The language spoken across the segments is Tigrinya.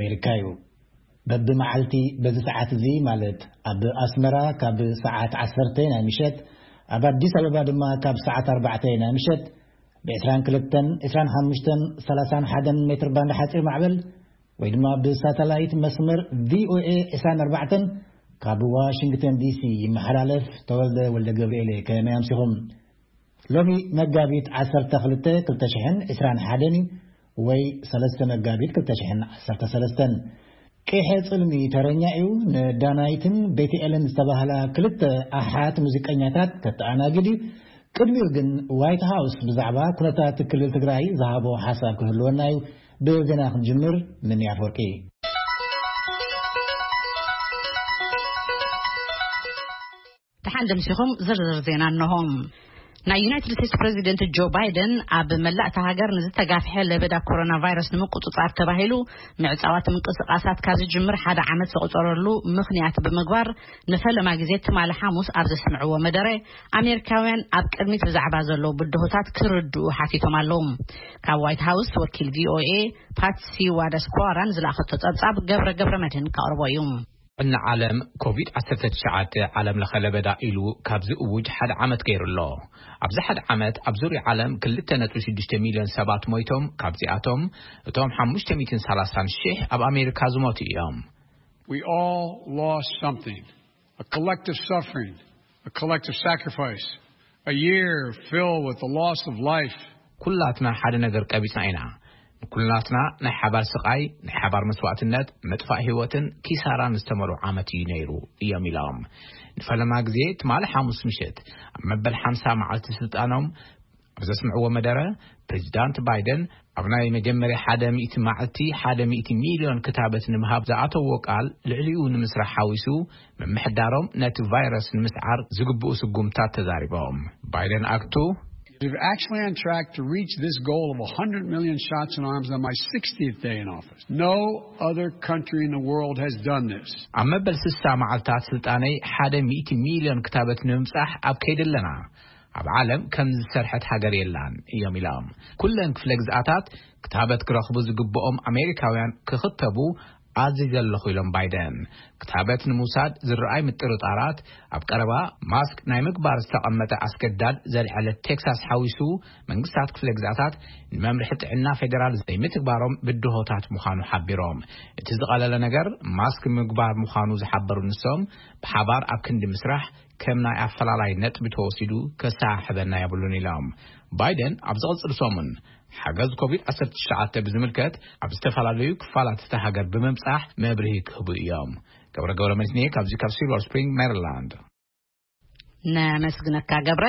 ኣሜሪካ እዩ። በብመዓልቲ በዚ ሰዓት እዚ፣ ማለት ኣብ ኣስመራ ካብ ሰዓት ዓሰርተ ናይ ምሸት፣ ኣብ ኣዲስ ኣበባ ድማ ካብ ሰዓት ኣርባዕተ ናይ ምሸት፣ ብ22፣ 25፣ 31 ሜትር ባንድ ሓፂር ማዕበል ወይ ድማ ብሳተላይት መስመር ቪ ኦ ኤ ዕስራን ኣርባዕተን ካብ ዋሽንግተን ዲ ሲ ይመሓላለፍ። ተወልደ ወልደ ገብርኤል፣ ከመይ ኣምሲኹም? ሎሚ መጋቢት ዓሰርተ ክልተ ክልተ ሽሕን ዕስራን ሓደን እዩ፣ ወይ ሰለስተ መጋቢት ክልተ ሽሕን ዓሰርተ ሰለስተን። ቂሐ ጽልሚ ተረኛ እዩ። ንዳናይትን ቤትኤልን ዝተባህላ ክልተ ኣሓት ሙዚቀኛታት ከተኣናግድ እዩ። ቅድሚኡ ግን፣ ዋይት ሃውስ ብዛዕባ ኩነታት ክልል ትግራይ ዝሃቦ ሓሳብ ክህልወና እዩ። ብዜና ክንጅምር፣ ምን ኣፈወርቂ። ደሓን ደምሲኹም፣ ዝርዝር ዜና እነሆ። ናይ ዩናይትድ ስቴትስ ፕሬዚደንት ጆ ባይደን ኣብ መላእ እታ ሃገር ንዝተጋፍሐ ለበዳ ኮሮና ቫይረስ ንምቁጽጻር ተባሂሉ ምዕጻዋት ምንቅስቓሳት ካብ ዝጅምር ሓደ ዓመት ዘቑጸረሉ ምኽንያት ብምግባር፣ ንፈለማ ግዜ ትማሊ ሓሙስ ኣብ ዘስምዕዎ መደረ፣ ኣሜሪካውያን ኣብ ቅድሚት ብዛዕባ ዘለዉ ብድሆታት ክርድኡ ሓቲቶም ኣለዉ። ካብ ዋይት ሃውስ ወኪል ቪ ኦ ኤ ፓትሲ ዋዳስኳራን ዝለኣኸቶ ጸብጻብ ገብረ ገብረ መድህን ከቕርቦ እዩ። ጥዕና ዓለም፣ ኮቪድ ዓሰርተ ትሽዓተ ዓለም ለኸ ለበዳ ኢሉ ካብ ዝእውጅ ሓደ ዓመት ገይሩ ኣሎ። ኣብዚ ሓደ ዓመት ኣብ ዙርያ ዓለም ክልተ ነጥቢ ሽዱሽተ ሚልዮን ሰባት ሞይቶም፣ ካብዚኣቶም እቶም ሓሙሽተ ሚእትን ሰላሳን ሽሕ ኣብ ኣሜሪካ ዝሞቱ እዮም። We all lost something. A collective suffering, a collective sacrifice, a year filled with the loss of life. ኩላትና ሓደ ነገር ቀቢጽና ኢና። ንኩላትና ናይ ሓባር ስቓይ፣ ናይ ሓባር መስዋእትነት፣ ምጥፋእ ህይወትን ኪሳራን ዝተመልኦ ዓመት እዩ ነይሩ እዮም ኢሎም። ንፈለማ ግዜ ትማሊ ሓሙስ ምሽት ኣብ መበል ሓምሳ መዓልቲ ስልጣኖም ኣብ ዘስምዕዎ መደረ፣ ፕሬዚዳንት ባይደን ኣብ ናይ መጀመርያ ሓደ ሚእቲ መዓልቲ ሓደ ሚእቲ ሚልዮን ክታበት ንምሃብ ዝኣተዎ ቃል ልዕሊኡ ንምስራሕ ሓዊሱ፣ ምምሕዳሮም ነቲ ቫይረስ ንምስዓር ዝግብኡ ስጉምታት ተዛሪቦም። ባይደን ኣክቱ We're actually on track to reach this goal of one hundred million shots in arms on my sixtieth day in office. No other country in the world has done this. ኣብ መበል ስሳ መዓልታት ስልጣነይ ሓደ ሚእቲ ሚልዮን ክታበት ንምብጻሕ ኣብ ከይዲ ኣለና። ኣብ ዓለም ከም ዝሰርሐት ሃገር የላን እዮም ኢሎም። ኩለን ክፍለ ግዝኣታት ክታበት ክረኽቡ ዝግብኦም ኣሜሪካውያን ክኽተቡ ኣዚዘ ኣለኹ ኢሎም ባይደን። ክታበት ንምውሳድ ዝረኣይ ምጥርጣራት ኣብ ቀረባ ማስክ ናይ ምግባር ዝተቐመጠ ኣስገዳድ ዘልዐለት ቴክሳስ ሓዊሱ፣ መንግስታት ክፍለ ግዝኣታት ንመምርሒ ጥዕና ፌደራል ዘይምትግባሮም ብድሆታት ምዃኑ ሓቢሮም። እቲ ዝቐለለ ነገር ማስክ ምግባር ምዃኑ ዝሓበሩ ንሶም፣ ብሓባር ኣብ ክንዲ ምስራሕ ከም ናይ ኣፈላላይ ነጥቢ ተወሲዱ ከሰሓሕበና የብሉን ኢሎም። ባይደን ኣብ ዝቕጽል ሰሙን ሓገዝ ኮቪድ ዓሰርተ ትሽዓተ ብዝምልከት ኣብ ዝተፈላለዩ ክፋላት እታ ሃገር ብምብጻሕ መብርሂ ክህቡ እዮም። ገብረ ገብረ መድህን ካብዚ ካብ ሲልቨር ስፕሪንግ ሜሪላንድ። ነመስግነካ ገብረ።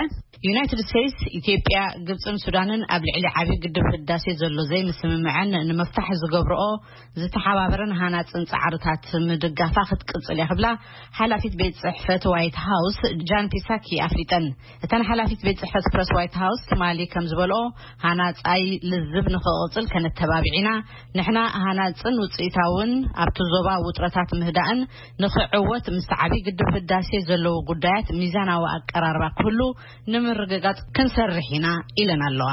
ዩናይትድ ስቴትስ፣ ኢትዮጵያ፣ ግብፅን ሱዳንን ኣብ ልዕሊ ዓብዪ ግድብ ህዳሴ ዘሎ ዘይምስምምዐን ንምፍታሕ ዝገብርኦ ዝተሓባበረን ሃናፅን ፃዕርታት ምድጋፋ ክትቅፅል እያ ክብላ ሓላፊት ቤት ፅሕፈት ዋይት ሃውስ ጃን ፒሳኪ ኣፍሊጠን። እተን ሓላፊት ቤት ጽሕፈት ፕረስ ዋይት ሃውስ ትማሊ ከም ዝበልኦ፣ ሃናጻይ ልዝብ ንኽቕጽል ከነተባብዕ ኢና። ንሕና ሃናጽን ውጽኢታውን ኣብቲ ዞባ ውጥረታት ምህዳእን ንኽዕወት ምስ ዓቢ ግድብ ህዳሴ ዘለዉ ጉዳያት ሚዛናዊ ኣቀራርባ ክህሉ ንምርግጋጽ ክንሰርሕ ኢና ኢለን ኣለዋ።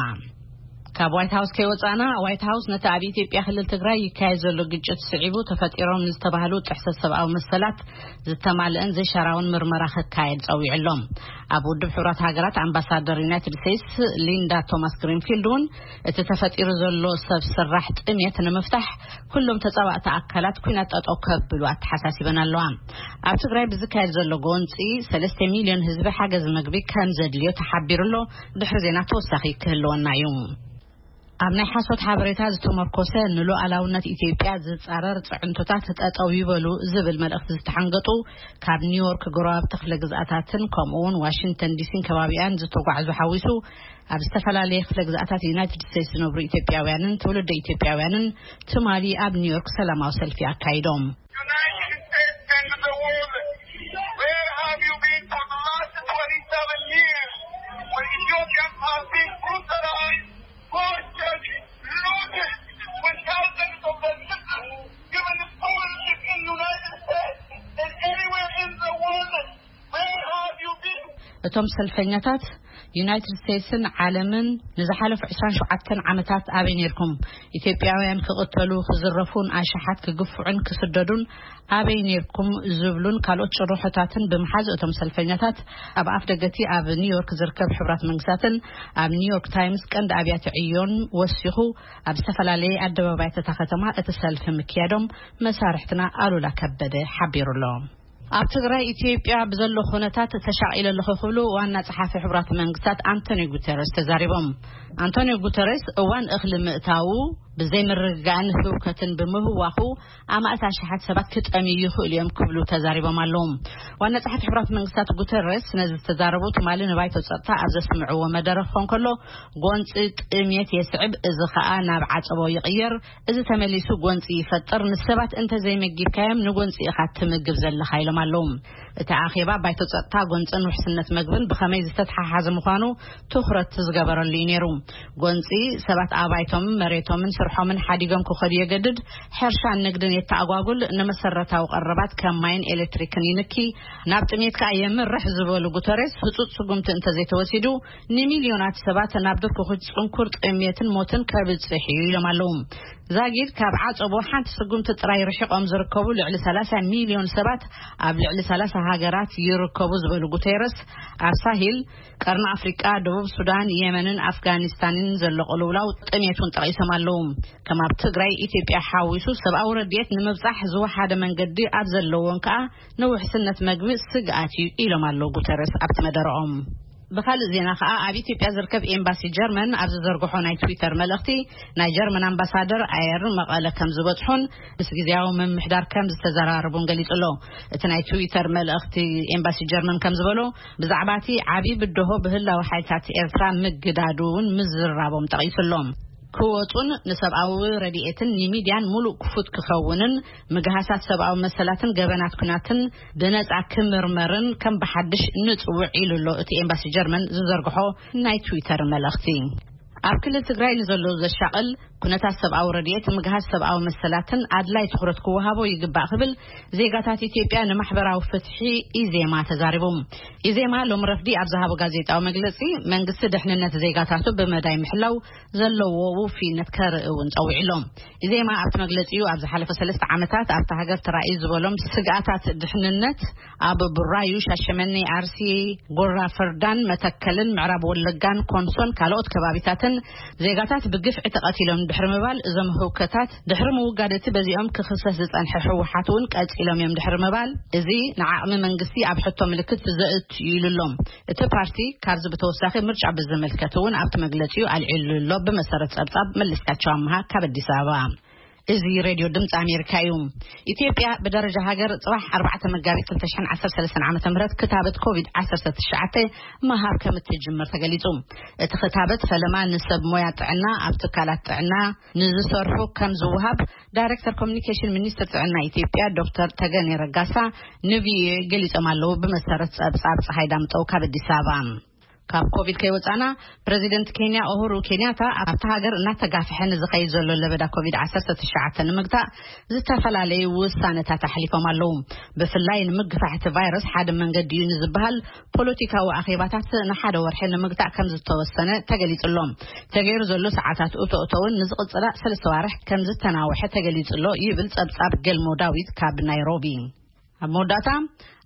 ካብ ዋይት ሃውስ ከይወጻእና፣ ዋይት ሃውስ ነቲ ኣብ ኢትዮጵያ ክልል ትግራይ ይካየድ ዘሎ ግጭት ስዒቡ ተፈጢሮም ዝተባህሉ ጥሕሰት ሰብኣዊ መሰላት ዝተማልአን ዘይሻራውን ምርመራ ክካየድ ጸዊዑ ኣሎ። ኣብ ውድብ ሕቡራት ሃገራት ኣምባሳደር ዩናይትድ ስቴትስ ሊንዳ ቶማስ ግሪንፊልድ እውን እቲ ተፈጢሩ ዘሎ ሰብ ሰራሕ ጥሜት ንምፍታሕ ኩሎም ተጻባእቲ ኣካላት ኩናት ጠጠው ከብሉ ኣተሓሳሲበን ኣለዋ። ኣብ ትግራይ ብዝካየድ ዘሎ ጎንጺ ሰለስተ ሚልዮን ህዝቢ ሓገዝ መግቢ ከም ዘድልዮ ተሓቢሩ ኣሎ። ድሕሪ ዜና ተወሳኺ ክህልወና እዩ። ኣብ ናይ ሓሶት ሓበሬታ ዝተመርኮሰ ንሉዓላውነት ኢትዮጵያ ዝጻረር ጽዕንቶታት ጠጠው ይበሉ ዝብል መልእኽቲ ዝተሓንገጡ ካብ ኒውዮርክ ጎረባብቲ ክፍለ ግዝኣታትን ከምኡ እውን ዋሽንግተን ዲሲን ከባቢኣን ዝተጓዕዙ ሓዊሱ ኣብ ዝተፈላለየ ክፍለ ግዝኣታት ዩናይትድ ስቴትስ ዝነብሩ ኢትዮጵያውያንን ትውልደ ኢትዮጵያውያንን ትማሊ ኣብ ኒውዮርክ ሰላማዊ ሰልፊ ኣካይዶም። United States and the world, where have you been for the last twenty-seven years when Ethiopians have been brutalized, tortured, looted, with thousands of their children given to scholarships in the United States and anywhere in the world? Where have you been? እቶም ሰልፈኛታት ዩናይትድ ስቴትስን ዓለምን ንዝሓለፉ ዕስራን ሸውዓተን ዓመታት ኣበይ ነይርኩም? ኢትዮጵያውያን ክቕተሉ፣ ክዝረፉን ኣሽሓት ክግፍዑን ክስደዱን ኣበይ ነይርኩም? ዝብሉን ካልኦት ጭርሖታትን ብምሓዝ፣ እቶም ሰልፈኛታት ኣብ ኣፍ ደገቲ ኣብ ኒውዮርክ ዝርከብ ሕቡራት መንግስታትን ኣብ ኒውዮርክ ታይምስ ቀንዲ ኣብያተ ዕዮን ወሲኹ ኣብ ዝተፈላለየ ኣደባባያት እታ ከተማ እቲ ሰልፊ ምክያዶም መሳርሕትና ኣሉላ ከበደ ሓቢሩ ኣሎ። ኣብ ትግራይ ኢትዮጵያ ብዘሎ ኩነታት ተሻቒለ ኣለኹ ክብሉ ዋና ጸሓፊ ሕቡራት መንግስታት ኣንቶኒዮ ጉተረስ ተዛሪቦም። ኣንቶኒዮ ጉተረስ እዋን እኽሊ ምእታዉ ብዘይ ምርግጋእን ህውከትን ብምህዋኹ ኣማእት ኣሽሓት ሰባት ክጠምዩ ይኽእሉ እዮም ክብሉ ተዛሪቦም ኣለዉ። ዋና ጸሓፊ ሕቡራት መንግስታት ጉተረስ ነዚ ዝተዛረቡ ትማሊ ንባይቶ ጸጥታ ኣብ ዘስምዕዎ መደረ ክኾን ከሎ፣ ጎንፂ ጥሜት የስዕብ፣ እዚ ኸኣ ናብ ዓጸቦ ይቕየር። እዚ ተመሊሱ ጎንፂ ይፈጥር። ንሰባት እንተዘይመጊብካዮም ንጎንፂ ኢኻ ትምግብ ዘለኻ ኢሎም ኣለዉ። እቲ ኣኼባ ባይቶ ጸጥታ ጎንፅን ውሕስነት መግብን ብኸመይ ዝተተሓሓዘ ምዃኑ ትኹረት ዝገበረሉ እዩ ነይሩ። ጎንፂ ሰባት ኣባይቶምን መሬቶምን ስርሖምን ሓዲጎም ክኸዱ የገድድ፣ ሕርሻን ንግድን የተኣጓጉል፣ ንመሰረታዊ ቀረባት ከም ማይን ኤሌክትሪክን ይንኪ፣ ናብ ጥሜት ከኣ የምርሕ ዝበሉ ጉተሬስ፣ ህጹጽ ስጉምቲ እንተዘይተወሲዱ ንሚልዮናት ሰባት ናብ ድርኩኹ ጽንኩር ጥሜትን ሞትን ከብጽሕ እዩ ኢሎም ኣለዉ። ዛጊድ ካብ ዓጸቦ ሓንቲ ስጉምቲ ጥራይ ርሒቖም ዝርከቡ ልዕሊ ሰላሳ ሚልዮን ሰባት ኣብ ልዕሊ ሰላሳ ሃገራት ይርከቡ ዝበሉ ጉተረስ፣ ኣብ ሳሂል፣ ቀርኒ ኣፍሪቃ፣ ደቡብ ሱዳን፣ የመንን ኣፍጋኒስታንን ዘሎ ቅልውላው ጥሜት እውን ጠቒሶም ኣለዉ። ከም ኣብ ትግራይ፣ ኢትዮጵያ ሓዊሱ ሰብኣዊ ረድኤት ንምብጻሕ ዝወሓደ መንገዲ ኣብ ዘለዎን ከኣ ንውሕስነት መግቢ ስግኣት እዩ ኢሎም ኣለዉ ጉተረስ ኣብቲ መደረኦም። ብኻልእ ዜና ከኣ ኣብ ኢትዮጵያ ዝርከብ ኤምባሲ ጀርመን ኣብ ዝዘርግሖ ናይ ትዊተር መልእኽቲ፣ ናይ ጀርመን ኣምባሳደር ኣየር መቐለ ከም ዝበጽሑን ምስ ግዜያዊ ምምሕዳር ከም ዝተዘራረቡን ገሊጹ ኣሎ። እቲ ናይ ትዊተር መልእኽቲ ኤምባሲ ጀርመን ከም ዝበሎ፣ ብዛዕባ እቲ ዓቢ ብድሆ ብህላዊ ሓይልታት ኤርትራ ምግዳዱ እውን ምዝራቦም ጠቒሱ ኣሎ። ክወጹን ንሰብኣዊ ረድኤትን ንሚድያን ሙሉእ ክፉት ክኸውንን፣ ምግሃሳት ሰብኣዊ መሰላትን ገበናት ኩናትን ብነጻ ክምርመርን ከም ብሓድሽ ንጽውዕ ኢሉ ኣሎ እቲ ኤምባሲ ጀርመን ዝዘርግሖ ናይ ትዊተር መልእኽቲ። ኣብ ክልል ትግራይ ንዘሎ ዘሻቕል ኩነታት ሰብኣዊ ረድኤት፣ ምግሃስ ሰብኣዊ መሰላትን ኣድላይ ትኹረት ክወሃቦ ይግባእ ክብል ዜጋታት ኢትዮጵያ ንማሕበራዊ ፍትሒ ኢዜማ ተዛሪቡ። ኢዜማ ሎም ረፍዲ ኣብ ዝሃቦ ጋዜጣዊ መግለጺ፣ መንግስቲ ድሕንነት ዜጋታቱ ብመዳይ ምሕላው ዘለዎ ውፍይነት ከርኢ እውን ጸዊዑ ኣሎ። ኢዜማ ኣብቲ መግለጺኡ፣ ኣብ ዝሓለፈ ሰለስተ ዓመታት ኣብታ ሃገር ተራእዩ ዝበሎም ስግኣታት ድሕንነት ኣብ ቡራዩ፣ ሻሸመኔ፣ ኣርሲ፣ ጎራ ፈርዳን፣ መተከልን፣ ምዕራብ ወለጋን፣ ኮንሶን ካልኦት ከባቢታትን ዜጋታት ብግፍዒ ተቐቲሎም ድሕሪ ምባል፣ እዞም ህውከታት ድሕሪ ምውጋድ እቲ በዚኦም ክኽሰስ ዝጸንሐ ህወሓት እውን ቀጺሎም እዮም ድሕሪ ምባል፣ እዚ ንዓቕሚ መንግስቲ ኣብ ሕቶ ምልክት ዘእቱ እዩ ኢሉ ኣሎ። እቲ ፓርቲ ካብዚ ብተወሳኺ ምርጫ ብዝምልከት እውን ኣብቲ መግለጺኡ ኣልዒሉ ኣሎ። ብመሰረት ጸብጻብ መለስካቸው ኣምሃ ካብ ኣዲስ ኣበባ። እዚ ሬድዮ ድምፂ ኣሜሪካ እዩ። ኢትዮጵያ ብደረጃ ሃገር ጽባሕ ኣርባዕተ መጋቢት ክልተ ሽሕን ዓሰርተ ሰለስተን ዓመተ ምህረት ክታበት ኮቪድ ዓሰርተ ትሽዓተ ምሃብ ከም እትጅምር ተገሊጹ። እቲ ክታበት ፈለማ ንሰብ ሞያ ጥዕና፣ ኣብ ትካላት ጥዕና ንዝሰርሑ ከም ዝውሃብ ዳይሬክተር ኮሚኒኬሽን ሚኒስትር ጥዕና ኢትዮጵያ ዶክተር ተገኔ ረጋሳ ንቪኦኤ ገሊጾም ኣለዉ። ብመሰረት ጸብጻብ ፀሓይ ዳምጠው ካብ ኣዲስ ኣበባ። ካብ ኮቪድ ከይወጻና፣ ፕረዚደንት ኬንያ ኡሁሩ ኬንያታ ኣብታ ሃገር እናተጋፍሐ ንዝኸይድ ዘሎ ለበዳ ኮቪድ ዓሰርተ ትሽዓተ ንምግታእ ዝተፈላለዩ ውሳነታት ኣሕሊፎም ኣለዉ። ብፍላይ ንምግፋሕ እቲ ቫይረስ ሓደ መንገዲ እዩ ንዝበሃል ፖለቲካዊ ኣኼባታት ንሓደ ወርሒ ንምግታእ ከም ዝተወሰነ ተገሊጹ ኣሎ። ተገይሩ ዘሎ ሰዓታት እቶ እቶውን ንዝቕጽላ ሰለስተ ዋርሕ ከም ዝተናውሐ ተገሊጹ ኣሎ ይብል ጸብጻብ ገልሞ ዳዊት ካብ ናይሮቢ። ኣብ መወዳእታ፣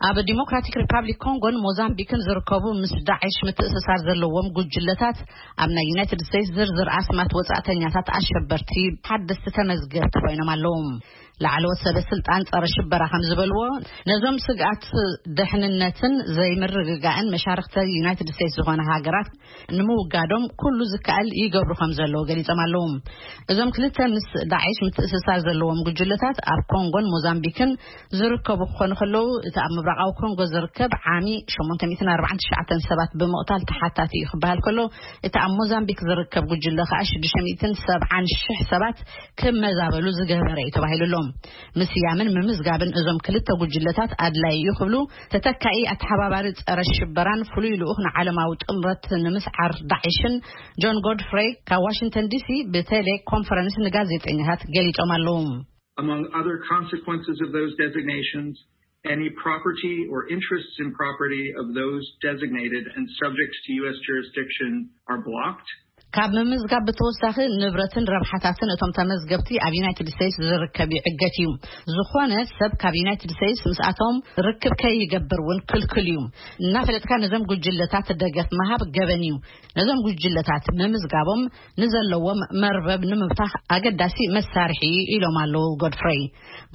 ኣብ ዲሞክራቲክ ሪፓብሊክ ኮንጎን ሞዛምቢክን ዝርከቡ ምስ ዳዕሽ ምትእስሳር ዘለዎም ጉጅለታት ኣብ ናይ ዩናይትድ ስቴትስ ዝርዝር ኣስማት ወጻእተኛታት ኣሸበርቲ ሓደስቲ ተመዝገብቲ ኮይኖም ኣለዉ። ላዕለዎት ሰበ ስልጣን ጸረ ሽበራ ከም ዝበልዎ፣ ነዞም ስግኣት ድሕንነትን ዘይምርግጋእን መሻርኽቲ ዩናይትድ ስቴትስ ዝኾነ ሃገራት ንምውጋዶም ኩሉ ዝከኣል ይገብሩ ከም ዘለዉ ገሊጾም ኣለዉ። እዞም ክልተ ምስ ዳዕሽ ምትእስሳር ዘለዎም ጉጅለታት ኣብ ኮንጎን ሞዛምቢክን ዝርከቡ ክኾኑ ከለዉ፣ እቲ ኣብ ምብራቓዊ ኮንጎ ዝርከብ ዓሚ ሸሞንተ ሚእትን ኣርባዓን ትሽዓተን ሰባት ብምቕታል ተሓታቲ እዩ ክበሃል ከሎ፣ እቲ ኣብ ሞዛምቢክ ዝርከብ ጉጅለ ከኣ ሽዱሽተ ሚእትን ሰብዓን ሽሕ ሰባት ክመዛበሉ ዝገበረ እዩ ተባሂሉ ኣሎ። ምስያምን ምምዝጋብን እዞም ክልተ ጉጅለታት ኣድላይ እዩ ክብሉ ተተካኢ ኣተሓባባሪ ጸረ ሽበራን ፍሉይ ልኡኽ ንዓለማዊ ጥምረት ንምስዓር ዳዕሽን ጆን ጎድፍሬይ ካብ ዋሽንግተን ዲሲ ብቴሌ ኮንፈረንስ ንጋዜጠኛታት ገሊጾም ኣለዉ። Among other consequences of those designations, Any property or interests in property of those designated and subject to U S jurisdiction are blocked. ካብ ምምዝጋብ ብተወሳኺ ንብረትን ረብሓታትን እቶም ተመዝገብቲ ኣብ ዩናይትድ ስቴትስ ዝርከብ ይዕገት እዩ። ዝኾነ ሰብ ካብ ዩናይትድ ስቴትስ ምስኣቶም ርክብ ከይገብር እውን ክልክል እዩ። እናፈለጥካ ነዞም ጉጅለታት ደገፍ ምሃብ ገበን እዩ። ነዞም ጉጅለታት ምምዝጋቦም ንዘለዎም መርበብ ንምብታኽ ኣገዳሲ መሳርሒ እዩ ኢሎም ኣለዉ ጎድፍረይ።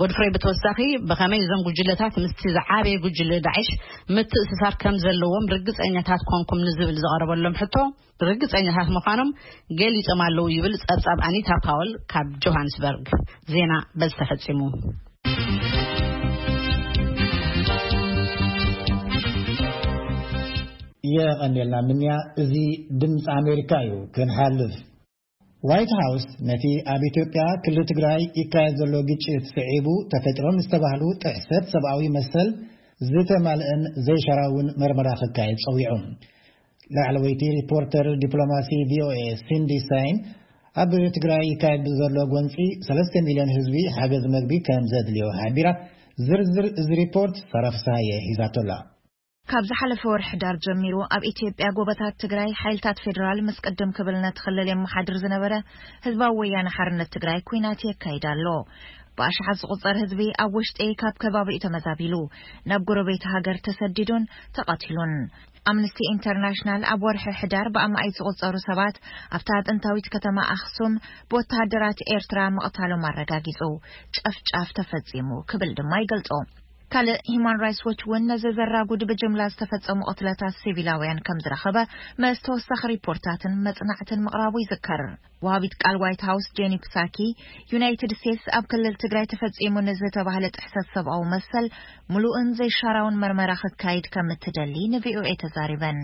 ጎድፍረይ ብተወሳኺ ብኸመይ እዞም ጉጅለታት ምስቲ ዝዓበየ ጉጅለ ዳዕሽ ምትእስሳር ከም ዘለዎም ርግጸኛታት ኮንኩም ንዝብል ዝቐረበሎም ሕቶ ርግጸኛታት ምዃኖም ገሊጾም ኣለዉ ይብል ጸብጻብ ኣኒታ ፓወል ካብ ጆሃንስበርግ። ዜና በዚ ተፈጺሙ። የቐንየልና ምንያ። እዚ ድምፂ ኣሜሪካ እዩ። ክንሓልፍ ዋይት ሃውስ ነቲ ኣብ ኢትዮጵያ ክልል ትግራይ ይካየድ ዘሎ ግጭት ስዒቡ ተፈጢሮም ዝተባህሉ ጥሕሰት ሰብኣዊ መሰል ዝተማልአን ዘይሸራውን መርመራ ክካየድ ጸዊዑ። ላዕለወይቲ ሪፖርተር ዲፕሎማሲ ቪኦኤ ሲንዲ ሳይን ኣብ ትግራይ ይካየድ ብዘሎ ጎንፂ ሰለስተ ሚልዮን ህዝቢ ሓገዝ መግቢ ከም ዘድልዮ ሓቢራ። ዝርዝር እዚ ሪፖርት ሳራ ፍስሃየ ሒዛቶላ። ካብ ዝሓለፈ ወርሒ ዳር ጀሚሩ ኣብ ኢትዮጵያ ጎቦታት ትግራይ ሓይልታት ፌዴራል ምስ ቅድም ክብል ነቲ ክልል የመሓድር ዝነበረ ህዝባዊ ወያነ ሓርነት ትግራይ ኲናት የካይድ ኣሎ። ብኣሽሓት ዝቑጸር ህዝቢ ኣብ ውሽጢ ካብ ከባቢኡ ተመዛቢሉ ናብ ጎረቤት ሃገር ተሰዲዱን ተቐቲሉን። ኣምነስቲ ኢንተርናሽናል ኣብ ወርሒ ሕዳር ብኣማኢት ዝቑጸሩ ሰባት ኣብታ ጥንታዊት ከተማ ኣኽሱም ብወተሃደራት ኤርትራ ምቕታሎም ኣረጋጊጹ። ጨፍጫፍ ተፈጺሙ ክብል ድማ ይገልጾ። ካልእ ሂማን ራይትስ ዎች እውን ነዚ ዘራጉድ ብጅምላ ዝተፈጸሙ ቅትለታት ሲቪላውያን ከም ዝረኸበ ምስ ተወሳኺ ሪፖርታትን መጽናዕትን ምቕራቡ ይዝከር። ወሃቢት ቃል ዋይት ሃውስ ጄኒ ፕሳኪ ዩናይትድ ስቴትስ ኣብ ክልል ትግራይ ተፈጺሙ ንዝተባህለ ጥሕሰት ሰብኣዊ መሰል ምሉእን ዘይሻራውን መርመራ ክካይድ ከም እትደሊ ንቪኦኤ ተዛሪበን።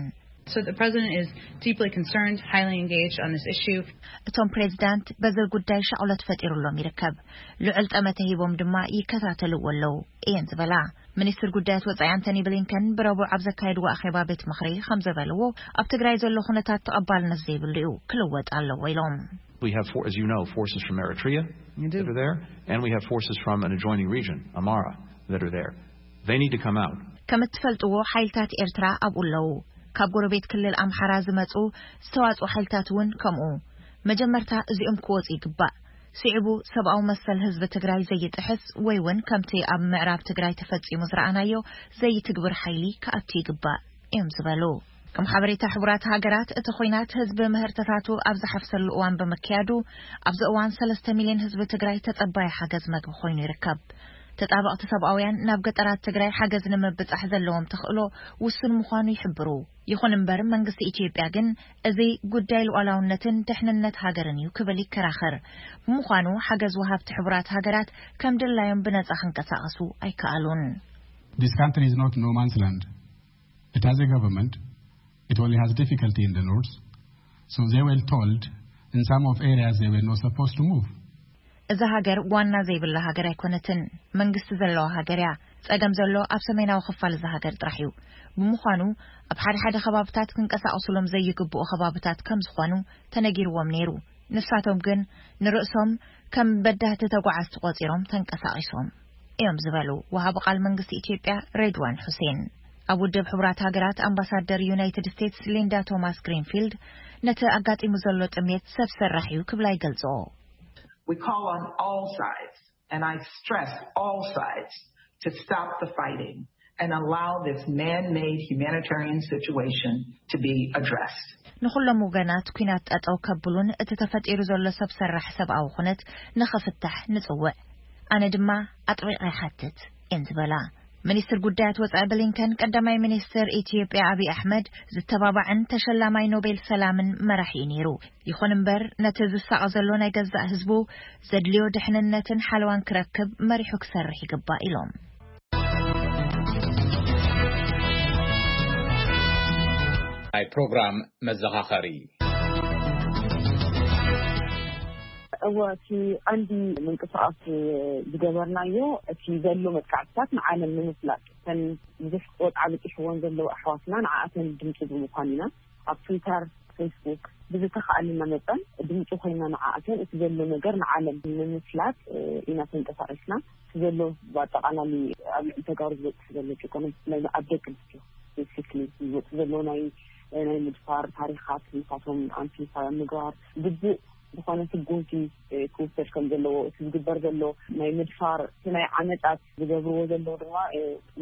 So the president is deeply concerned, highly engaged on this issue. እቶም ፕሬዚዳንት በዚ ጉዳይ ሻቕሎት ፈጢሩሎም ይርከብ። ልዑል ጠመተ ሂቦም ድማ ይከታተልዎ ኣለዉ እየን ዝበላ። ሚኒስትር ጉዳያት ወጻኢ ኣንቶኒ ብሊንከን ብረቡዕ ኣብ ዘካየድዎ ኣኼባ ቤት ምኽሪ ከም ዘበልዎ ኣብ ትግራይ ዘሎ ኩነታት ተቐባልነት ዘይብሉ እዩ፣ ክልወጥ ኣለዎ ኢሎም። We have, for, as you know, forces from Eritrea that are there, and we have forces from an adjoining region, Amara, that are there. They need to come out. ከም እትፈልጥዎ ሓይልታት ኤርትራ ኣብኡ ኣለዉ። ካብ ጎረቤት ክልል ኣምሓራ ዝመጹ ዝተዋጽኡ ሓይልታት እውን ከምኡ። መጀመርታ እዚኦም ክወጹ ይግባእ። ስዒቡ ሰብኣዊ መሰል ህዝቢ ትግራይ ዘይጥሕስ ወይ እውን ከምቲ ኣብ ምዕራብ ትግራይ ተፈጺሙ ዝረኣናዮ ዘይትግብር ሓይሊ ክኣቱ ይግባእ እዮም ዝበሉ። ከም ሓበሬታ ሕቡራት ሃገራት እቲ ኹናት ህዝቢ ምህርትታቱ ኣብ ዝሓፍሰሉ እዋን ብምክያዱ ኣብዚ እዋን ሰለስተ ሚልዮን ህዝቢ ትግራይ ተጸባይ ሓገዝ መግቢ ኮይኑ ይርከብ። ተጣበቕቲ ሰብኣውያን ናብ ገጠራት ትግራይ ሓገዝ ንምብጻሕ ዘለዎም ተኽእሎ ውሱን ምዃኑ ይሕብሩ። ይኹን እምበር መንግስቲ ኢትዮጵያ ግን እዚ ጉዳይ ሉዓላውነትን ድሕንነት ሃገርን እዩ ክብል ይከራኸር። ብምዃኑ ሓገዝ ወሃብቲ ሕቡራት ሃገራት ከም ድላዮም ብነጻ ክንቀሳቐሱ ኣይከኣሉን። This country is not no man's land. It has a government. It only has difficulty in the north. So they were told in some of areas they were not supposed to move. እዛ ሃገር ዋና ዘይብላ ሃገር ኣይኮነትን። መንግስቲ ዘለዋ ሃገር እያ። ጸገም ዘሎ ኣብ ሰሜናዊ ክፋል እዛ ሃገር ጥራሕ እዩ። ብምዃኑ ኣብ ሓደ ሓደ ከባብታት ክንቀሳቐሱሎም ዘይግብኡ ከባብታት ከም ዝኾኑ ተነጊርዎም ነይሩ። ንሳቶም ግን ንርእሶም ከም በዳህቲ ተጓዓዝቲ ቆጺሮም ተንቀሳቒሶም እዮም ዝበሉ ወሃቢ ቃል መንግስቲ ኢትዮጵያ ሬድዋን ሁሴን። ኣብ ውድብ ሕቡራት ሃገራት ኣምባሳደር ዩናይትድ ስቴትስ ሊንዳ ቶማስ ግሪንፊልድ ነቲ ኣጋጢሙ ዘሎ ጥሜት ሰብ ሰራሕ እዩ ክብላ ይገልጽኦ። We call on all sides, and I stress all sides, to stop the fighting and allow this man-made humanitarian situation to be addressed. ንኹሎም ወገናት ኲናት ጠጠው ከብሉን እቲ ተፈጢሩ ዘሎ ሰብ ሰራሕ ሰብኣዊ ኩነት ንኽፍታሕ ንጽውዕ። ኣነ ድማ ኣጥቢቐ ይሓትት እየን ዝበላ። ሚኒስትር ጉዳያት ወጻኢ ብሊንከን ቀዳማይ ሚኒስትር ኢትዮጵያ ኣብይ ኣሕመድ ዝተባባዕን ተሸላማይ ኖቤል ሰላምን መራሒ እዩ ነይሩ። ይኹን እምበር ነቲ ዝሳቐ ዘሎ ናይ ገዛእ ህዝቡ ዘድልዮ ድሕንነትን ሓለዋን ክረክብ መሪሑ ክሰርሕ ይግባእ ኢሎም። ናይ ፕሮግራም መዘኻኸሪ። እወ፣ እቲ ቀንዲ ምንቅስቃስ ዝገበርናዮ እቲ ዘሎ መጥቃዕትታት ንዓለም ንምፍላጥ፣ እተን ብዙሕ ቆጥዓ በፂሕወን ዘለዋ ኣሕዋትና ንዓኣተን ድምፂ ብምኳን ኢና። ኣብ ትዊተር ፌስቡክ ብዝተኻእለና መጠን ድምፂ ኮይና ንዓኣተን እቲ ዘሎ ነገር ንዓለም ንምፍላጥ ኢና ተንቀሳቂስና። እቲ ዘሎ ብኣጠቃላሊ ኣብ ልዕሊ ተጋሩ ዝወፅእ ዘሎ ጭቆና ብፍላይ ኣብ ደቂ ኣንስትዮ ስፔሲፊክሊ ዝወፅእ ዘሎ ናይ ናይ ምድፋር ታሪኻት ንሳቶም ኣምፕሊፋይ ኣብ ምግባር ግቡእ ዝኾነ ስጉምቲ ክውሰድ ከም ዘለዎ፣ እቲ ዝግበር ዘሎ ናይ ምድፋር እቲ ናይ ዓመፃት ዝገብርዎ ዘለዉ ድማ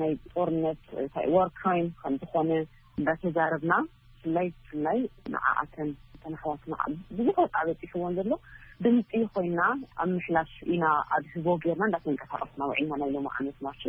ናይ ጦርነት ዋር ክራይም ከም ዝኾነ እንዳተዛረብና ብፍላይ ብፍላይ ንዓኣተን እተን ኣሕዋትና ብዙሕ ወፃ በፂሕዎን ዘሎ ድምፂ ኮይና ኣብ ምሕላፍ ኢና ኣብ ህዝቦ ጌርና እንዳተንቀሳቀስና ውዒልና ናይ ሎም ዓመት ማርች።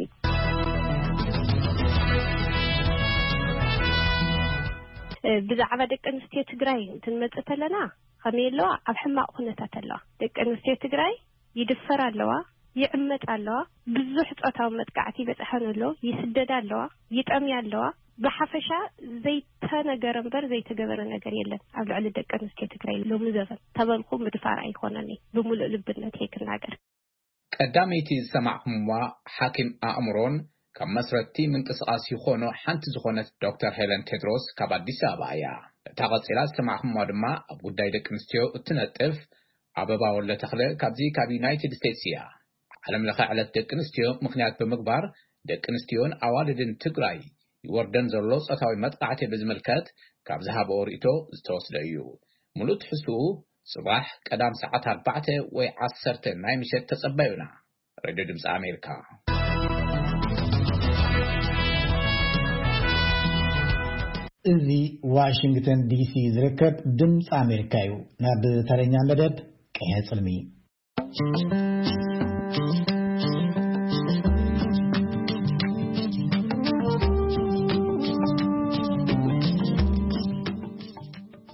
ብዛዕባ ደቂ ኣንስትዮ ትግራይ እንትንመፅእ ተለና ከመይ ኣለዋ? ኣብ ሕማቕ ኩነታት ኣለዋ። ደቂ ኣንስትዮ ትግራይ ይድፈራ ኣለዋ፣ ይዕመፃ ኣለዋ፣ ብዙሕ ፆታዊ መጥቃዕቲ ይበፅሐን ኣሎ፣ ይስደዳ ኣለዋ፣ ይጠምያ ኣለዋ። ብሓፈሻ ዘይተነገረ እምበር ዘይተገበረ ነገር የለን ኣብ ልዕሊ ደቂ ኣንስትዮ ትግራይ ሎሚ ዘበን። ተበልኩ ምድፋር ኣይኮነን፣ ብሙሉእ ልብነት እየ ክናገር። ቀዳመይቲ ዝሰማዕኹምዋ ሓኪም ኣእምሮን ካብ መስረቲ ምንቅስቃስ ይኾኖ ሓንቲ ዝኾነት ዶክተር ሄለን ቴድሮስ ካብ ኣዲስ ኣበባ እያ። እታ ቀጺላ ዝሰማዕኹምዋ ድማ ኣብ ጉዳይ ደቂ ኣንስትዮ እትነጥፍ ኣበባ ወልደተኽለ ካብዚ ካብ ዩናይትድ ስቴትስ እያ። ዓለም ለኸ ዕለት ደቂ ኣንስትዮ ምኽንያት ብምግባር ደቂ ኣንስትዮን ኣዋልድን ትግራይ ይወርደን ዘሎ ጾታዊ መጥቃዕቲ ብዝምልከት ካብ ዝሃበኦ ርእይቶ ዝተወስደ እዩ። ሙሉእ ትሕዝትኡ ጽባሕ ቀዳም ሰዓት ኣርባዕተ ወይ ዓሰርተ ናይ ምሸት ተጸበዩና። ሬድዮ ድምፂ ኣሜሪካ። እዚ ዋሽንግተን ዲሲ ዝርከብ ድምፂ ኣሜሪካ እዩ። ናብ ተረኛ መደብ ቅሐ ፅልሚ።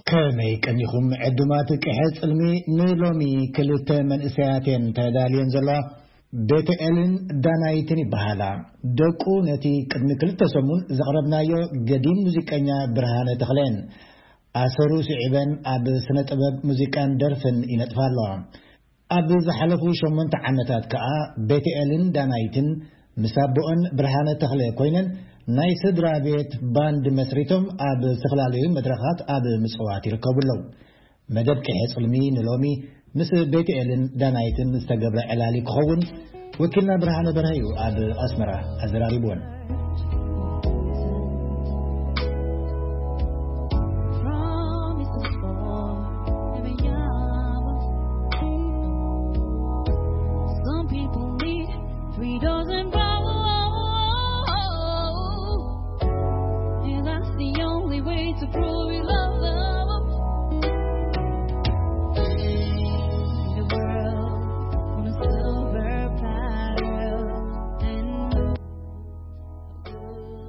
ከመይ ቀኒኹም ዕዱማት ቅሐ ፅልሚ? ንሎሚ ክልተ መንእሰያት እየን ተዳልየን ዘለዋ። ቤተኤልን ዳናይትን ይበሃላ። ደቁ ነቲ ቅድሚ ክልተ ሰሙን ዘቕረብናዮ ገዲም ሙዚቀኛ ብርሃነ ተኽለን ኣሰሩ ስዒበን ኣብ ስነ ጥበብ ሙዚቃን ደርፍን ይነጥፋ ኣለዋ። ኣብ ዝሓለፉ ሸሞንተ ዓመታት ከኣ ቤተኤልን ዳናይትን ምስ ኣቦኦን ብርሃነ ተኽለ ኮይነን ናይ ስድራ ቤት ባንድ መስሪቶም ኣብ ዝተፈላለዩ መድረኻት ኣብ ምጽዋት ይርከቡ ኣለዉ። መደብ ቅሐ ጽልሚ ንሎሚ ምስ ቤተኤልን ዳናይትን ዝተገብረ ዕላሊ ክኸውን ወኪልና ብርሃነ በርሀ እዩ ኣብ ኣስመራ ኣዘራሪብወን።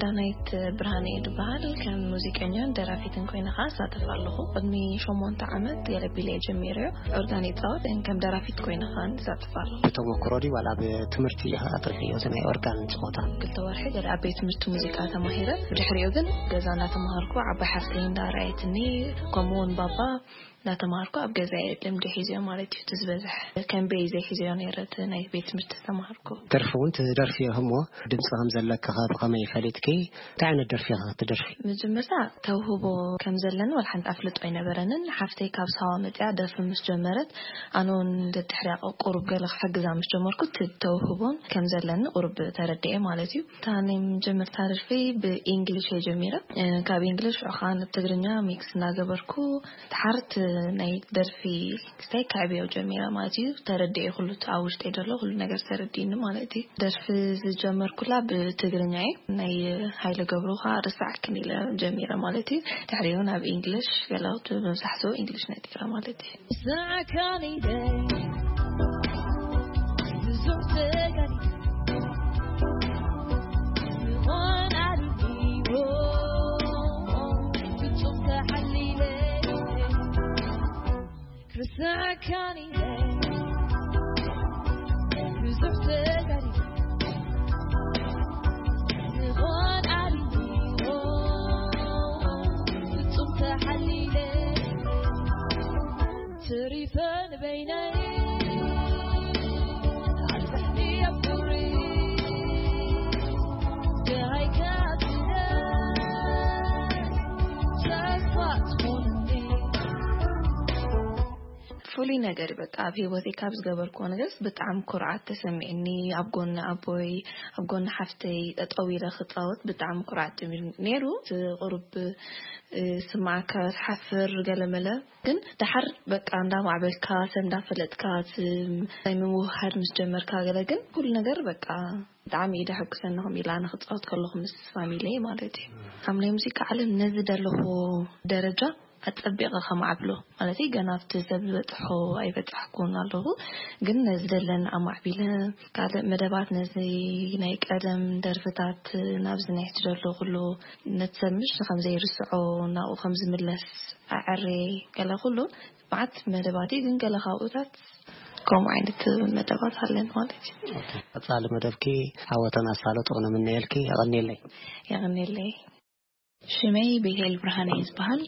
ዳናይት ብርሃነ እየ ዝበሃል። ከም ሙዚቀኛን ደራፊትን ኮይነ ኸዓ እሳተፍ ኣለኹ። ቅድሚ ሸሞንተ ዓመት ገለ ቢለ ጀሚረዮ። ኦርጋን ይፃወት፣ ከም ደራፊት ኮይነ ኸዓ እሳተፍ ኣለኹ። ብተሞክሮ ድዩ ዋላ ብትምህርቲ ኢኻ ኣጥሪሕዮ እዚ ናይ ኦርጋን ፀወታ? ክልተ ወርሒ ገለ ኣብ ቤት ትምህርቲ ሙዚቃ ተማሂረ። ብድሕሪኡ ግን ገዛ እናተማሃርኩ ዓባይ ሓፍተይ እንዳርኣየትኒ፣ ከምኡ እውን ባባ እናተማሃርኩ ኣብ ገዛ እየ ልምዲ ሒዘዮ ማለት እዩ። እቲ ዝበዝሕ ከም ቤይ ዘይሒዘዮ ነይረ እቲ ናይ ቤት ትምህርቲ ዝተማሃርኩ። ደርፊ እውን ትደርፊ እሞ ድምፂ ከም ዘለኪ ኸ ብኸመይ ፈሊጥኪ? እንታይ ዓይነት ደርፊ ኢኻ ትደርፊ? መጀመርታ ተውህቦ ከም ዘለኒ ዋላ ሓንቲ ኣፍልጦ ኣይነበረንን። ሓፍተይ ካብ ሳዋ መፂኣ ደርፊ ምስ ጀመረት ኣነ እውን ደድሕሪያ ቁሩብ ገለ ክሕግዛ ምስ ጀመርኩ እቲ ተውህቦን ከም ዘለኒ ቁሩብ ተረድኤ ማለት እዩ። እታ ናይ መጀመርታ ደርፊ ብኢንግሊሽ እየ ጀሚረ። እ፣ ካብ ኢንግሊሽ ሽዑ ኸዓ ናብ ትግርኛ ሚክስ እናገበርኩ ድሓር እቲ ናይ ደርፊ ክስታይ ከዕብዮ ጀሚረ ማለት እዩ። ተረድኤ ኩሉ እቲ ኣብ ውሽጠይ ዘሎ ኩሉ ነገር ተረዲእኒ ማለት እዩ። ደርፊ ዝጀመርኩላ ብትግርኛ እዩ። ናይ ሃይለ ገብሩ ኸዓ ርሳዕክን ኢለ ጀሚረ ማለት እዩ። ድሕሪኡ ናብ ኢንግሊሽ ገለ መብዛሕትኡ ኢንግሊሽ ነጢረ ማለት እዩ። ፍሉይ ነገር እዩ። በቃ ኣብ ህይወተይ ካብ ዝገበርክዎ ነገርስ ብጣዕሚ ኩርዓት ተሰሚዕኒ። ኣብ ጎኒ ኣቦይ፣ ኣብ ጎኒ ሓፍተይ ጠጠው ኢለ ክጻወት ብጣዕሚ ኩርዓት ጀሚሩ ነይሩ። እቲ ቁሩብ፣ እ፣ ስማዓካ ትሓፍር ገለ መለ። ግን ደሓር በቃ እንዳማዕበልካ፣ ሰብ እንዳፈለጥካ፣ እቲ ናይ ምውህሃድ ምስ ጀመርካ ገለ ግን ኩሉ ነገር በቃ ብጣዕሚ እዩ ደሐጉሰኒ። ከምኡ ኢላ ኣነ ክጻወት ከለኹ ምስ ፋሚሊየይ ማለት እዩ። ኣብ ናይ ሙዚቃ ዓለም ነዚ ደለኹ ደረጃ ኣጸቢቐ ከማዕብሎ፣ ማለት እዩ፣ ገና ኣብቲ ሰብ ዝበጽሖ ኣይበጻሕኩን ኣለኹ። ግን ነዚ ደለኒ ኣማዕቢለ፣ ካልእ መደባት ነዚ ናይ ቀደም ደርፍታት ናብዚ ናይ ሕጂ ዘሎ ኩሉ ነቲ ሰብ ምሽ ከም ዘይርስዖ፣ ናብኡ ከም ዝምለስ ኣዐርየ ገለ ኩሉ መዓት መደባት እዩ። ግን ገለ ካብኡታት ከምኡ ዓይነት መደባት ኣለን ማለት እዩ። ኦኬ። ቀጻሊ መደብኪ ዓወተን ኣሳልጦ ንምነየልኪ። የቐንየለይ። የቐንየለይ። ሽመይ ቤቴል ብርሃነ እዩ ዝበሃል።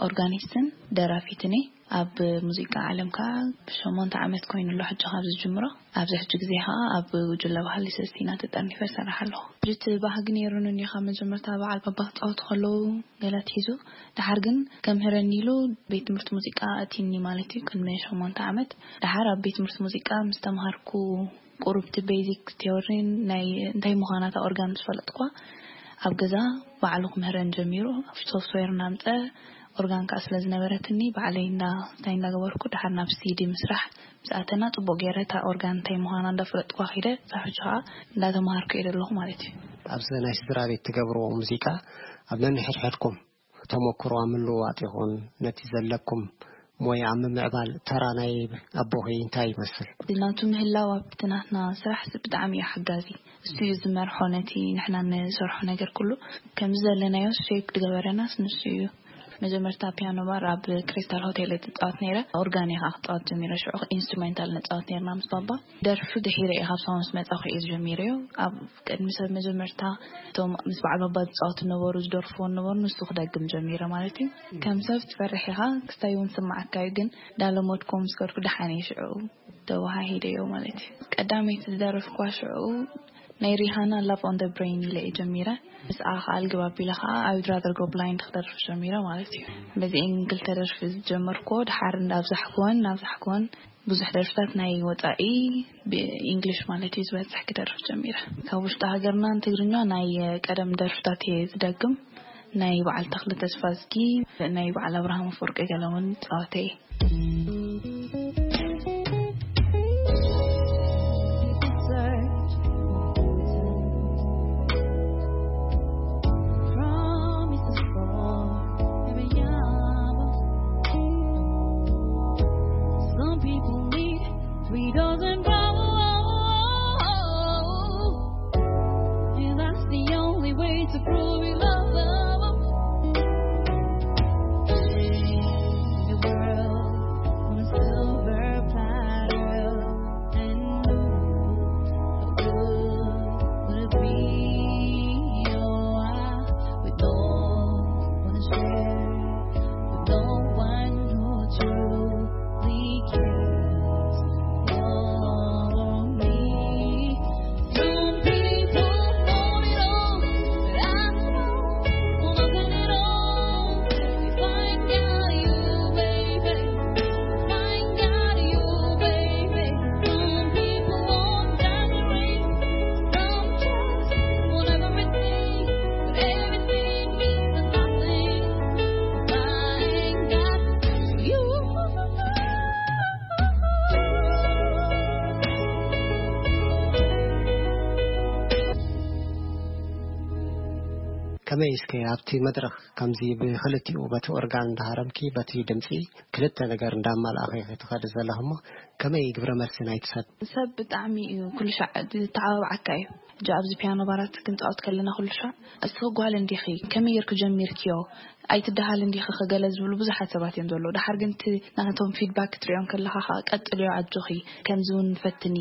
ኦርጋኒስትን ደራፊትን እየ። ኣብ ሙዚቃ ዓለም ከኣ ብሸሞንተ ዓመት ኮይኑ ኣሎ ሕጂ ካብ ዝጅምሮ። ኣብዚ ሕጂ ግዜ ከኣ ኣብ ጉጅለ ባህሊ ሰስቲና ተጠርኒፈ እሰርሕ ኣለኹ። ብልቲ ባህጊ ነይሩኒ እንዲኻ መጀመርታ በዓል ባባ ክጻወቱ ከለዉ ገለ ኣትሒዙ፣ ደሓር ግን ከምህረኒ ኢሉ ቤት ትምህርቲ ሙዚቃ ኣእትዩኒ ማለት እዩ፣ ቅድሚ ሸሞንተ ዓመት። ደሓር ኣብ ቤት ትምህርቲ ሙዚቃ ምስ ተምሃርኩ፣ ቁሩብ እቲ ቤዚክ ቲዮሪን ናይ እንታይ ምዃና እታ ኦርጋን ምስ ፈለጥኳ፣ ኣብ ገዛ ባዕሉ ክምህረን ጀሚሩ። ሶፍትዌር እናምጸ፣ ኦርጋን ከኣ ስለ ዝነበረትኒ፣ ባዕለይ እንዳ-፣ እንታይ እንዳገበርኩ፣ ደሓር ናብ ሲዲ ምስራሕ ምስ ኣተና፣ ጽቡቕ ገይረ እታ ኦርጋን እንታይ ምዃና እንዳፈለጥኳ ኸይደ፣ ክሳብ ሕጂ ኸኣ እንዳተምሃርኩ እየ ዘለኹ ማለት እዩ። ኣብዚ ናይ ስድራ ቤት ትገብርዎ ሙዚቃ፣ ኣብ ነንሕድሕድኩም ተመክሮ ኣብ ምልውዋጥ ይኹን፣ ነቲ ዘለኩም ሞያ ኣብ ምምዕባል ተራ ናይ ኣቦኺ እንታይ ይመስል? ናቱ ምህላው ኣብቲ ናትና ስራሕ ብጣዕሚ እዩ ሓጋዚ። እሱ እዩ ዝመርሖ ነቲ ንሕና ንሰርሖ ነገር ኩሉ። ከምዚ ዘለናዮ ሼፕ ዝገበረናስ ንሱ እዩ። መጀመርታ ፒያኖ ባር ኣብ ክሪስታል ሆቴል እየ ዝጻወት ነይረ። ኦርጋን እየ ከኣ ክጻወት ጀሚረ። ሽዑ ኢንስትሩሜንታል ንጻወት ነይርና ምስ ባባ። ደርፊ ድሒረ እየ ካብ ሳዋ ምስ መጻኹ እየ ጀሚረዮ። ኣብ ቅድሚ ሰብ መጀመርታ እቶም ምስ በዓል ባባ ዝጻወቱ ነበሩ፣ ዝደርፍዎ ነበሩ፣ ንሱ ክደግም ጀሚረ ማለት እዩ። ከም ሰብ ትፈርሕ ኢኻ፣ ክስታይ እውን ስምዓካ እዩ፣ ግን እንዳለመድኩ ምስ ከድኩ ደሓን እየ ሽዑ ተወሃሂደዮ ማለት እዩ። ቀዳመይቲ ዝደረፍኳ ሽዑ ናይ ሪሃና ላቭ ኦን ደ ብሬን ኢለ እየ ጀሚረ። ምስኣ ከኣ ልግብ ኣቢለ ከኣ I Would Rather Go Blind ክደርፍ ጀሚረ ማለት እዩ። በዚኤን ክልተ ደርፊ ዝጀመርኩዎ፣ ድሓር እንዳብዛሕኩወን፣ እንዳብዛሕኩወን ብዙሕ ደርፍታት ናይ ወጻኢ ብኢንግሊሽ ማለት እዩ ዝበዝሕ ክደርፍ ጀሚረ። ካብ ውሽጢ ሃገርና ንትግርኛ ናይ ቀደም ደርፍታት እየ ዝደግም። ናይ በዓል ተኽለ ተስፋዝጊ፣ ናይ በዓል ኣብርሃም ኣፈወርቂ ገለ እውን ጻወተ እየ። Some people need three dozen problems. And that's the only way to prove you love them. The world on a silver platter and good would it be? Oh, I would know on a share with no one who truly cares for me. Some people want it all, but I won't want it all. If I got you, baby, if I got you, baby. Some people want diamond rings, some just want everything, but everything means nothing if I ain't got you. ከመይ እስከ ኣብቲ መድረኽ ከምዚ ብኽልቲኡ፣ በቲ ኦርጋን እንዳሃረምኪ፣ በቲ ድምጺ ክልተ ነገር እንዳማልኣኺ ክትኸዲ ዘለኺ እሞ፣ ከመይ ግብረ መልሲ ናይቲ ሰብ? ሰብ ብጣዕሚ እዩ ኩሉ ሻዕ ዝተዓባብዓካ እዩ። ሕጂ ኣብዚ ፒያኖ ባራት ክንጻወት ከለና ኩሉ ሻዕ፣ "እስኺ ጓል እንዲኺ፣ ከመይ ጌርኪ ጀሚርክዮ? ኣይትደሃልን ዲኺ?" ከገለ ዝብሉ ብዙሓት ሰባት እዮም ዘለዉ። ደሓር ግን እቲ ናቶም ፊድባክ ክትሪኦም ከለኻ ኸኣ፣ "ቀጽልዮ፣ ኣጆኺ፣ ከምዚ እውን ፈትኒ፣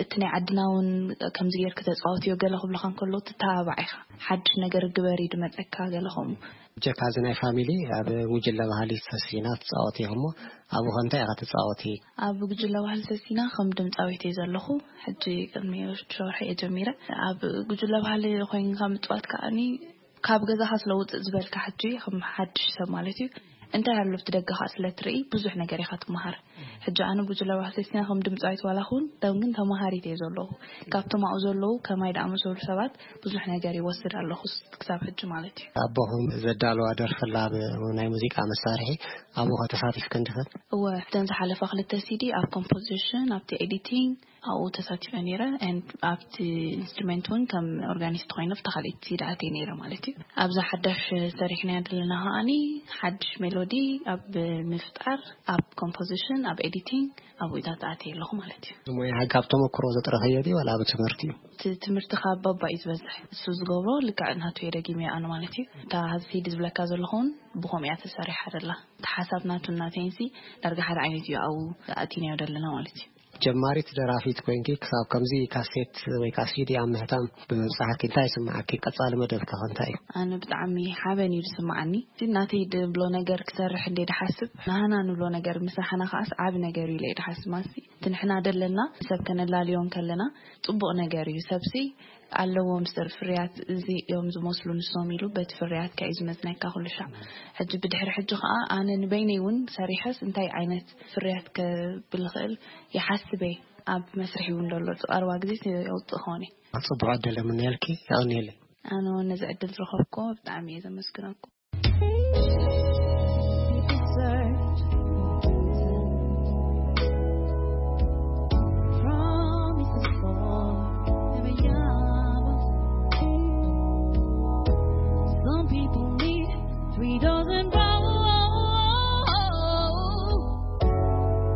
እቲ ናይ ዓድና እውን ከምዚ ጌርኪ ተጻወትዮ" ገለ ክብሉኻ እንከለዉ ትተባባዕ ኢኻ። "ሓድሽ ነገር ግበሪ ድመጸካ" ገለ ከምኡ። ብጀካ እዚ ናይ ፋሚሊ ኣብ ጉጅለ ባህሊ ሰሲና ትጻወቲ ኢኺ እሞ ኣብኡ ከ እንታይ ኢኻ ትጻወቲ? ኣብ ጉጅለ ባህሊ ሰሲና ከም ድምጻዊት እየ ዘለኹ። ሕጂ ቅድሚ ሽዱሽተ ወርሒ እየ ጀሚረ። ኣብ ጉጅለ ባህሊ ኮይንካ ምጽዋት ከኣኒ ካብ ገዛኻ ስለ ውጽእ ዝበልካ ሕጂ ከም ሓድሽ ሰብ ማለት እዩ። እንታይ ኣሎ ኣብቲ ደገኻ ስለ ትርኢ ብዙሕ ነገር ኢኻ ትመሃር። ሕጂ ኣነ ብዙ ለባህሰስና ከም ድምጻዊት ዋላ ኹን፣ ደም ግን ተማሃሪት እየ ዘለኹ። ካብቶም ኣብኡ ዘለዉ ከማይ ደኣመሰሉ ሰባት ብዙሕ ነገር ይወስድ ኣለኹ ስ-፣ ክሳብ ሕጂ ማለት እዩ። ኣቦኹም ዘዳለዋ ደርፊ ኣላ ብ-፣ ናይ ሙዚቃ መሳርሒ ኣብኡ ተሳቲፍክን ድኽን? እወ፣ እተን ዝሓለፋ ክልተ ሲዲ ኣብ ኮምፖዚሽን፣ ኣብቲ ኤዲቲንግ ኣብኡ ተሳቲፈ ነይረ። And ኣብቲ ኢንስትሩመንት እውን ከም ኦርጋኒስት ኮይነ ኣብታ ካልኣይቲ ሲዲ ኣትየ ነይረ ማለት እዩ። ኣብዛ ሓዳሽ ሰሪሕናያ ዘለና ከኣኒ ሓድሽ ሜሎዲ ኣብ ምፍጣር፣ ኣብ ኮምፖዚሽን፣ ኣብ ኤዲቲንግ፣ ኣብኡታት ኣትየ ኣለኹ ማለት እዩ። ሞያ ካብ ተመክሮ ዘጥረኸዮ ድዩ ዋላ ኣብ ትምህርቲ እዩ? እቲ ትምህርቲ ካብ ባባ እዩ ዝበዝሕ። እሱ ዝገብሮ ልክዕ ናቱ እየ ደጊመዮ ኣነ ማለት እዩ። እታ ሲዲ ዝብለካ ዘለኹ እውን ብኸምኡ እያ ተሰሪሓ ደላ። እቲ ሓሳብ ናቱ እናተይንሲ ዳርጋ ሓደ ዓይነት እዩ ኣብኡ ኣእቲናዮ ደለና ማለት እዩ። ጀማሪት ደራፊት ኮይንኪ ክሳብ ከምዚ ካሴት ወይ ከዓ ሲዲ ኣብ ምህታም ብምብጻሕኪ እንታይ ይስምዓኪ? ቀጻሊ መደብኪ ከ እንታይ እዩ? ኣነ ብጣዕሚ ሓበን እዩ ዝስምዓኒ። እቲ ናተይ ድብሎ ነገር ክሰርሕ እንደ ድሓስብ፣ ናህና ንብሎ ነገር ምስራሕና ከኣስ ዓቢ ነገር እዩ ኢለ እየ ድሓስብ። ማሲ እቲ ንሕና ደለና ሰብ ከነላልዮ እንከለና ጽቡቕ ነገር እዩ። ሰብሲ ኣለዎም ስር ፍርያት እዚ እዮም ዝመስሉ ንሶም ኢሉ በቲ ፍርያት ከ እዩ ዝመዝነካ ኩሉ ሻዕ። ሕጂ ብድሕሪ ሕጂ ከኣ ኣነ ንበይነይ እውን ሰሪሐስ እንታይ ዓይነት ፍርያት ከብል ይኽእል ይሓስብ እየ። ኣብ መስርሒ እውን ዘሎ እቲ ቀረባ ግዜ የውፅእ ክኾን እየ። ኣብ ጽቡቕ ዕድል የምነየልኪ፣ የቐንየለይ። ኣነ እውን ነዚ ዕድል ዝረኸብኩ ብጣዕሚ እየ ዘመስግነኩም። Promises for every hour. Some people need three dozen flowers.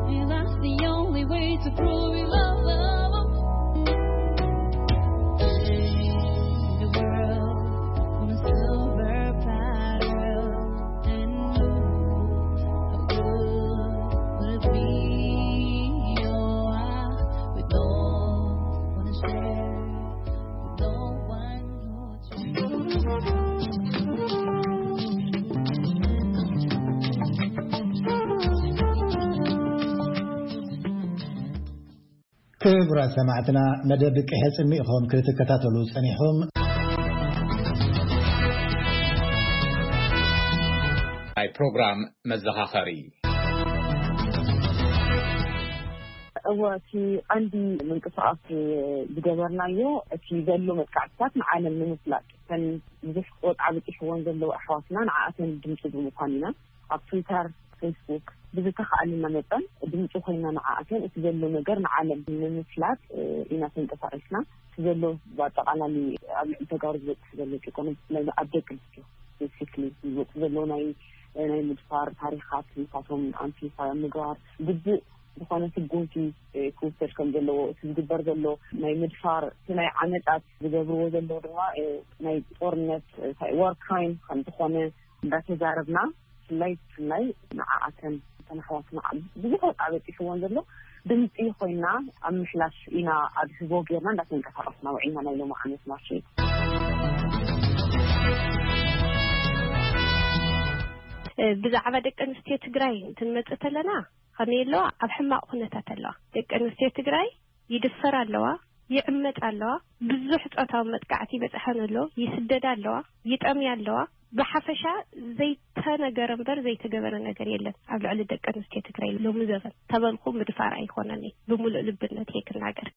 And that's the only way to prove your love. The world on a silver platter. And you, how good would it be? Oh, I, we don't wanna share. We don't want no change. ክቡራት ሰማዕትና፣ መደብ ቅሐ ጽምኢኹም ክትከታተሉ ጸኒሕኹም። ናይ ፕሮግራም መዘኻኸሪ። እወ፣ እቲ ቀንዲ ምንቅስቃስ ዝገበርናዮ፣ እቲ ዘሎ መጥቃዕትታት ንዓለም ንምፍላጥ፣ እተን ብዙሕ ቆጣ በጺሕወን ዘለዋ ኣሕዋትና ንዓኣተን ድምፂ ብምዃን ኢና። ኣብ ትዊተር፣ ፌስቡክ ብዝተኻእለና መጠን ድምፂ ኮይና ንዓኣተን እቲ ዘሎ ነገር ንዓለም ንምፍላጥ፣ እ፣ ኢና ተንቀሳቒስና። እቲ ዘሎ ብኣጠቓላሊ ኣብ ልዕሊ ተጋሩ ዝበፅሕ ዘሎ ጭቆና፣ ብፍላይ ኣብ ደቂ ኣንስትዮ ስፔሲፊክሊ ዝመፁ ዘሎ ናይ፣ ናይ ምድፋር ታሪኻት ንሳቶም ኣምፕሊፋይ ኣብ ምግባር ግቡእ ዝኾነ ስጉምቲ፣ እ፣ ክውሰድ ከም ዘለዎ፣ እቲ ዝግበር ዘሎ ናይ ምድፋር፣ እቲ ናይ ዓመጻት ዝገብርዎ ዘለዉ ድማ፣ እ፣ ናይ ጦርነት፣ እ፣ ዋር ክራይም ከም ዝኾነ እንዳተዛረብና፣ ብፍላይ፣ ብፍላይ ንዓኣተን እተን ኣሕዋትና ብዙሕ ወጻኢ በጺሕወን ዘሎ ድምጺ ኮይና ኣብ ምሕላፍ ኢና ኣብ ህቦ ጌርና እንዳተንቀሳቐስና ውዒልና ናይ ሎሚ ዓመት ማርች። እ፣ ብዛዕባ ደቂ ኣንስትዮ ትግራይ እንትንመጽእ ተለና፣ ከመይ ኣለዋ? ኣብ ሕማቕ ኩነታት ኣለዋ። ደቂ ኣንስትዮ ትግራይ ይድፈራ ኣለዋ፣ ይዕመጻ ኣለዋ፣ ብዙሕ ጾታዊ መጥቃዕቲ ይበጽሐን ኣሎ፣ ይስደዳ ኣለዋ፣ ይጠምያ ኣለዋ። ብሓፈሻ ዘይተነገረ እምበር ዘይተገበረ ነገር የለን ኣብ ልዕሊ ደቂ ኣንስትዮ ትግራይ ሎሚ ዘበን። ተበልኩ ምድፋር ኣይኮነን፣ ብምሉእ ልብነት እየ ክናገር።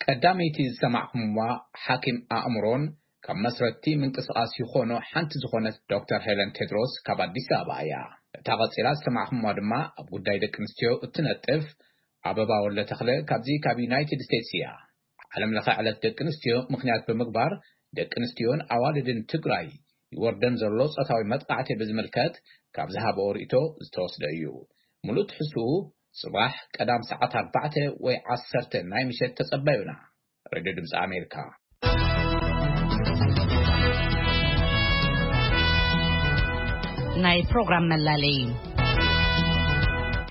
ቀዳመይቲ ዝሰማዕኹምዋ ሓኪም ኣእምሮን ካብ መስረትቲ ምንቅስቓስ ይኾኖ ሓንቲ ዝኾነት ዶክተር ሄለን ቴድሮስ ካብ ኣዲስ ኣበባ እያ። እታ ቀጺላ ዝሰማዕኹምዋ ድማ ኣብ ጉዳይ ደቂ ኣንስትዮ እትነጥፍ ኣበባ ወልደ ተኽለ ካብዚ ካብ ዩናይትድ ስቴትስ እያ። ዓለም ለኸ ዕለት ደቂ ኣንስትዮ ምኽንያት ብምግባር ደቂ ኣንስትዮን ኣዋልድን ትግራይ ይወርደን ዘሎ ጾታዊ መጥቃዕቲ ብዝምልከት ካብ ዝሃበኦ ርእይቶ ዝተወስደ እዩ። ሙሉእ ትሕዝትኡ ጽባሕ ቀዳም ሰዓት ኣርባዕተ ወይ ዓሰርተ ናይ ምሸት ተጸበዩና። ሬድዮ ድምፂ ኣሜሪካ። ናይ ፕሮግራም መላለይ።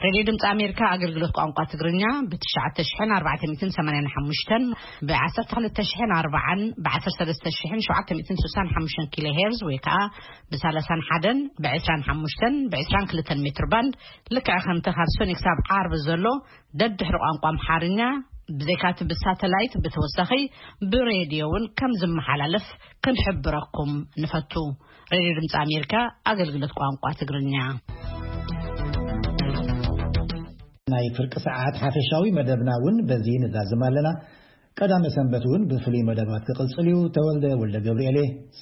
ሬድዮ ድምፂ ኣሜሪካ ኣገልግሎት ቋንቋ ትግርኛ ብ ትሽዓተ ሽሕን ኣርባዕተ ሚእትን ሰማንያን ሓሙሽተን፣ ብ ዓሰርተ ክልተ ሽሕን ኣርባዓን፣ ብ ዓሰርተ ሰለስተ ሽሕን ሸውዓተ ሚእትን ስሳን ሓሙሽተን ኪሎ ሄርዝ ወይ ከዓ ብ ሰላሳን ሓደን፣ ብ ዕስራን ሓሙሽተን፣ ብ ዕስራን ክልተን ሜትር ባንድ፣ ልክዕ ከምቲ ካብ ሰኑይ ክሳብ ዓርቢ ዘሎ ደድሕሪ ቋንቋ ኣምሓርኛ ብዘይካቲ ብሳተላይት ብተወሳኺ ብሬድዮ እውን ከም ዝመሓላለፍ ክንሕብረኩም ንፈቱ። ሬድዮ ድምፂ ኣሜሪካ ኣገልግሎት ቋንቋ ትግርኛ። ናይ ፍርቂ ሰዓት ሓፈሻዊ መደብና እውን በዚ ንዛዝም ኣለና። ቀዳመ ሰንበት እውን ብፍሉይ መደባት ክቕጽል እዩ። ተወልደ ወልደ ገብርኤል እየ።